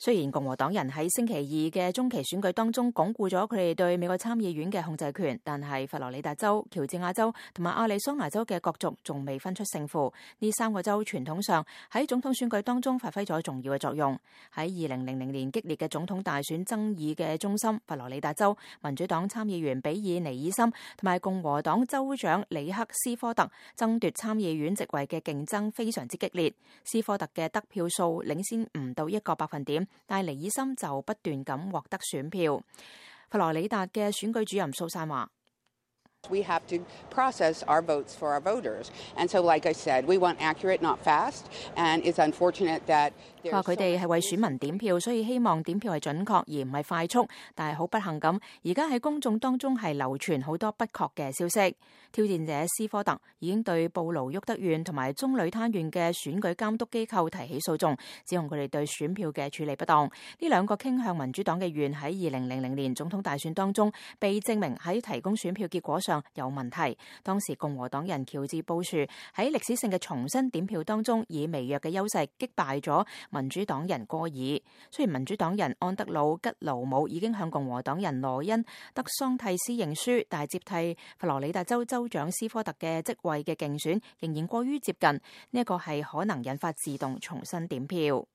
雖然共和黨人喺星期二嘅中期選舉當中鞏固咗佢哋對美國參議院嘅控制權，但係佛羅里達州、喬治亞州同埋亞利桑那州嘅角逐仲未分出勝負。呢三個州傳統上喺總統選舉當中發揮咗重要嘅作用。喺2000年激烈嘅總統大選爭議嘅中心佛羅里達州，民主黨參議員比爾尼爾森同埋共和黨州長里克斯科特爭奪參議院席位嘅競爭非常之激烈。斯科特嘅得票數領先唔到1個百分點。但尼爾森就不斷咁獲得選票。佛羅里達嘅選舉主任蘇珊話：We have to process our votes for our voters, and so, like I said, we want accurate, not fast. And it's unfortunate that 佢哋係為選民點票，所以希望點票係準確而唔係快速。但係好不幸咁，而家喺公眾當中係流傳好多不確嘅消息。挑戰者斯科特已經對布盧沃德縣同埋中女灘縣嘅選舉監督機構提起訴訟，指控佢哋對選票嘅處理不當。呢兩個傾向民主黨嘅縣喺2000年總統大選當中被證明喺提供選票結果上有問題。當時共和黨人喬治布殊喺歷史性嘅重新點票當中，以微弱嘅優勢擊敗咗民主黨人戈爾。雖然民主黨人安德魯吉勞姆已經向共和黨人羅恩德桑蒂斯認輸，但係接替佛羅里達州州長斯科特嘅職位嘅競選仍然過於接近，呢一個係可能引發自動重新點票。